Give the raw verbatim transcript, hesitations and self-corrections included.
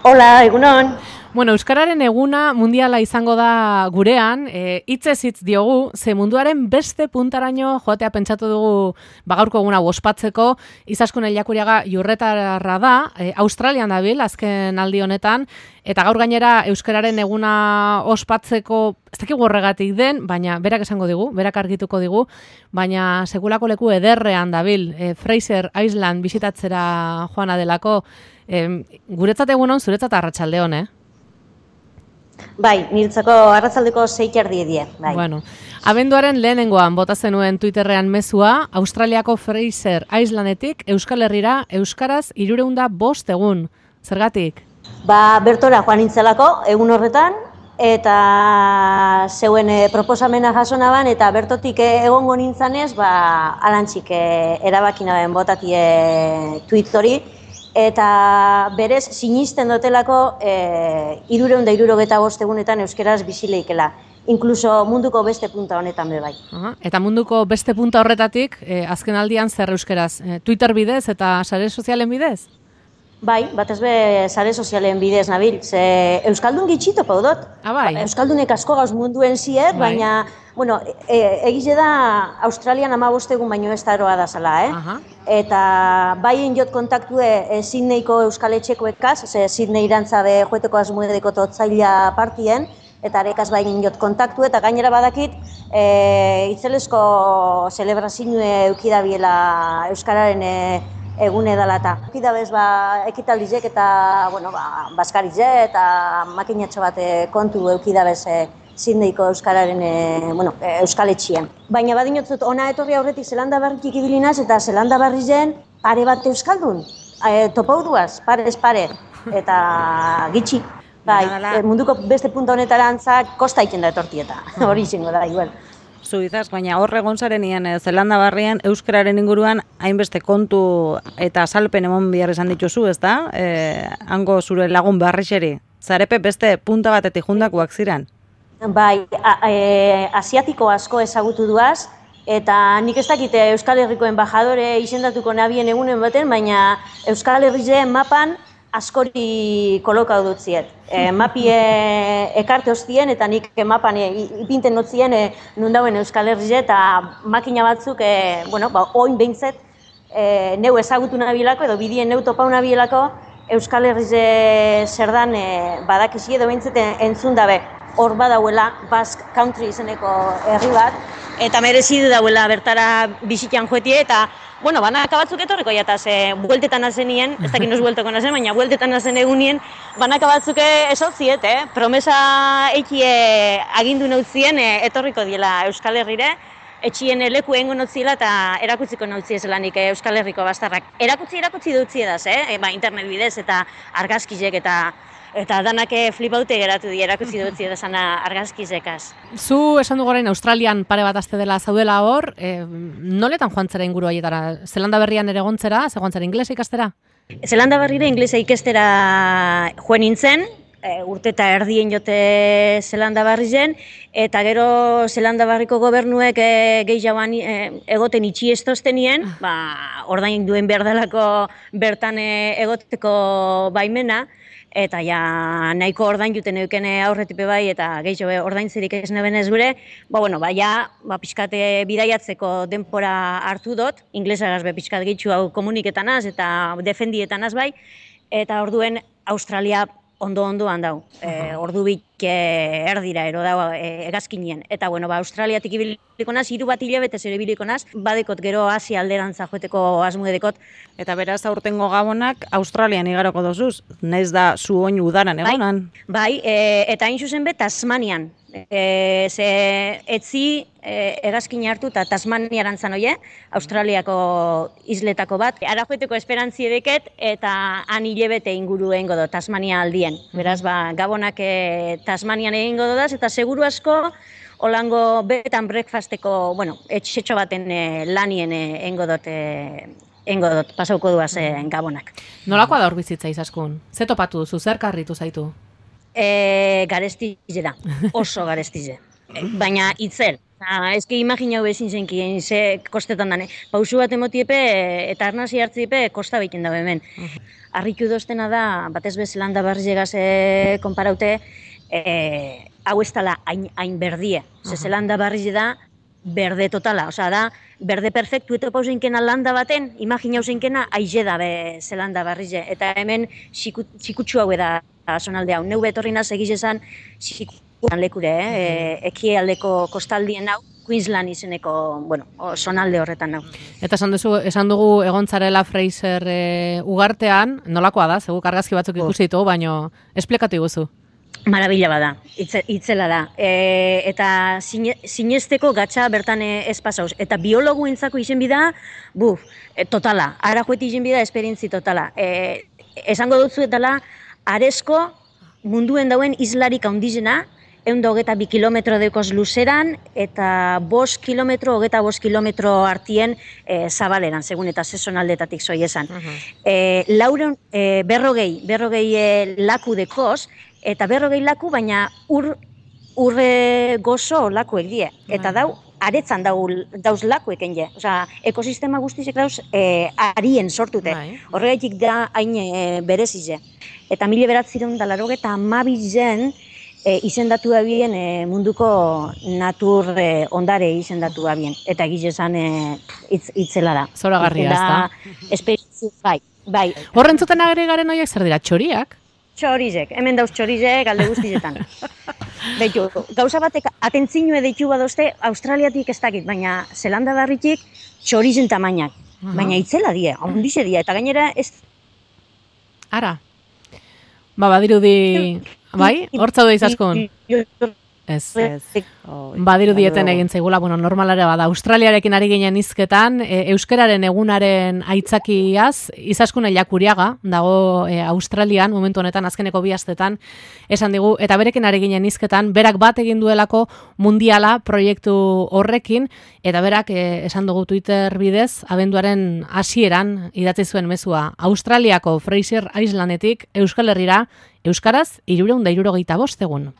Hola, egunon. Bueno, Euskararen eguna mundiala izango da gurean, e, hitzez hitz diogu, ze munduaren beste puntaraino joatea pentsatu dugu bagaurko eguna ospatzeko. Izaskun Eliakuriaga Jurretarra da, e, Australian dabil, azken aldi honetan, eta gaur gainera Euskararen eguna ospatzeko, ez dakigu horregatik den, baina berak esango digu, berak argituko digu, baina sekulako leku ederrean dabil, e, Fraser Island bisitatzera joana delako, e, guretzat egunon, zuretzat arratsaldeon, eh? Bai, niretzako arratsaldeko sei erdi die, bai. Bueno, abenduaren lehenengoan bota zenuen Twitterrean mezua, Australiako Fraser Islandetik Euskal Herrira euskaraz hirurehun eta bost egun. Zergatik? Ba, bertora joan nintzelako egun horretan eta zeuen e, proposamena jaso naban eta bertotik e, egongo nintzanez, ba alantzik e, erabaki naben botatie tweet hori. Eta berez sinisten dotelako e, hirurehun eta hirurogeta bost egunetan euskeraz bizileikela. Inkluso munduko beste punta honetan be bai. Aha, eta munduko beste punta horretatik, e, azken aldian zer euskeraz? E, Twitter bidez eta sare sozialen bidez? Bai, batez be sare sozialen bidez nabil, ze euskaldun gitxito paudot. Ah, bai. Euskaldunek asko gauz munduen ziet, Bai. baina, bueno, e, egize da Australian hamabost egun baino ez daroa da zala, eh? Aha. Eta baien jot kontaktue e, Sydneyko euskaletxekoekaz, ze Sydney irantza be joeteko asmuedeko totzaila partien, eta arekaz baien jot kontaktu eta gainera badakit e, itzelesko celebrazioe eukidabiela euskararen e, egune dela eta. Eukidabez ba, ekitaldizek eta, bueno, ba, baskarize eta makinatxo bat e, kontu eukidabez e, Sydneyko euskararen e, bueno, e, euskaletxian. Baina badinotzut ona etorri aurretik Zelanda Barritik ibilinaz eta Zelanda Barrizen pare bat euskaldun. E, topauduaz, parez pare, eta gitxi. Bai, e, munduko beste punta honetarantza kosta iken da etortieta, hori izango da, igual. Zuizaz, baina hor egon zarenien eh, Zelanda Barrian euskararen inguruan hainbeste kontu eta salpen emon behar izan dituzu, ezta? Eh, hango zure lagun barrixeri. Zarepe beste punta batetik jundakoak ziren? Bai, a, e, asiatiko asko ezagutu duaz, eta nik ez dakite Euskal Herriko embajadore izendatuko nabien egunen baten, baina Euskal Herrize mapan askori kolokau dut ziet. E, mapie ekarte hostien eta nik mapan e, ipinten dut zien e, nundauen Euskal Herrize eta makina batzuk, e, bueno, ba, oin behintzet e, neu ezagutu nabilako edo bidien neu topau nabilako Euskal Herrize zer dan e, badakizi edo behintzet entzun dabe. Hor badauela Basque Country izeneko herri bat, eta merezidu dauela bertara bizitan joetie, eta, bueno, banaka batzuk etorriko jataz, e, bueltetan azenien, ez dakit noz buelteko nazen, baina bueltetan azen egunien, banaka batzuk esotziet, eh? Promesa eikie agindu nautzien e, etorriko diela Euskal Herrire, etxien leku egingo nautziela eta erakutziko nautzie zelanik e, Euskal Herriko bastarrak. Erakutzi erakutzi dutzie daz, eh? E, ba, internet bidez eta argazkizek eta Eta danak flipaute geratu di, erakutsi dutzi edasana argazkizekaz. Zu esan dugu orain Australian pare bat aste dela zaudela hor, e, noletan joan zera inguru haietara? Zelanda Berrian ere gontzera, ze joan zera inglesa ikastera? Zelanda Berrira inglesa ikestera joan nintzen, e, urte eta erdien jote Zelanda Barrizen, eta gero Zelanda Barriko gobernuek e, gehiagoan e, egoten itxi estoztenien, ba, ordain duen behar delako bertan e, egoteko baimena, eta ja nahiko ordain juten eukene aurretipe bai eta gehiago ordaintzerik ez nebenez gure, ba, bueno, ba, ja, ba, pixkate bidaiatzeko denpora hartu dut, inglesagaz be pixkat gehitxu hau komuniketanaz eta defendietanaz bai, eta orduen Australia ondo-ondoan dau, e, ordu bik e, erdira ero dau e, egazkinien. Eta, bueno, ba, Australiatik ibiliko naz, hiru bat hilabetez ere ibiliko naz, badekot gero Asia alderantza joeteko asmuedekot. Eta beraz aurtengo gabonak Australian igaroko dozuz, naiz da zu oin udaran egonan. Bai, bai e, eta hain zuzen be Tasmanian. E, ze etzi e, egazkin hartu eta Tasmaniaran zan oie, Australiako isletako bat. Ara joeteko esperantzi edeket eta han hilebete inguru egingo do Tasmania aldien. Beraz, ba, gabonak e, Tasmanian egingo dodaz eta seguru asko holango bed and breakfasteko, bueno, etxetxo baten e, lanien egingo dut e, Engo dut, pasauko duaz e, gabonak. Nolakoa da hor bizitza Izaskun? Ze topatu duzu, zer karritu zaitu? E, garestize da, oso garestize. E, baina itzel. Ah, ez que imaginau bezin zenkien, ze kostetan dane. Pausu bat emotiepe eta arnazi hartziepe kosta behiten dabe hemen. harritu doztena da, batez be Zelanda Berrizegaz e, konparaute, e, hau ez dela hain, hain berdie. Ze Zelanda Berrize da, berde totala, osea da, berde perfektu eta pauseinkena landa baten, imaginau zeinkena, aize da be Zelanda Berrize. Eta hemen txikutsu hau da zonalde hau. Neu betorri naz egiz esan, txikutan lekure, eh? e, ekialdeko kostaldien hau, Queensland izeneko, bueno, zonalde horretan hau. Eta esan, duzu, esan dugu egontzarela Fraser e, ugartean, nolakoa da, zegu argazki batzuk ikusi ditugu, baino esplikatu iguzu. Marabila bada, itze, itzela da. E, eta zine, zinezteko gatsa bertan ez pasauz. Eta biologu entzako izen bida, buf, e, totala. Ara joeti izen bida, esperientzi totala. E, esango dutzu etala, arezko munduen dauen islarik handizena, egun da hogeta bi kilometro dekoz luzeran, eta bost kilometro, hogeta bost kilometro artien e, zabaleran, segun eta sezonaldetatik zoi esan. Uh -huh. e, lauren, e, berrogei, berrogei e, laku dekoz, eta berrogei laku, baina ur, urre gozo lakuek die. Eta dau, aretzan dau, dauz lakueken je. Osea, ekosistema guztizek dauz e, arien sortute. Horregaitik da hain e, berezize. Eta mila beratzireun da laro eta amabizen e, izendatu bien e, munduko natur e, ondare izendatu bien. Eta egiz esan e, itz, itzela da. Zoragarria, ez da? Esperientzi, bai, bai. Horren zuten agregaren horiek zer dira, txoriak? Txorizek, hemen dauz txorizek alde guztietan. Beitu, gauza batek atentzinue deitu badozte, Australiatik ez dakit, baina Zelanda Berritik txorizen tamainak. Uh-huh. Baina itzela die, ondize die, eta gainera ez... Ara, ba, badirudi, bai, hortza du izaskun. Ez, ez. Badiru dieten egin zaigula, bueno, normalare bada. Australiarekin ari ginen hizketan, e, euskararen egunaren aitzakiaz, izaskun Ellakuriaga, dago e, Australian, momentu honetan, azkeneko bi astetan, esan digu, eta berekin ari ginen hizketan, berak bat egin duelako mundiala proiektu horrekin, eta berak e, esan dugu Twitter bidez, abenduaren hasieran idatzi zuen mezua, Australiako Fraser Islandetik Euskal Herrira, euskaraz, hirurehun eta hirurogeita bost egun.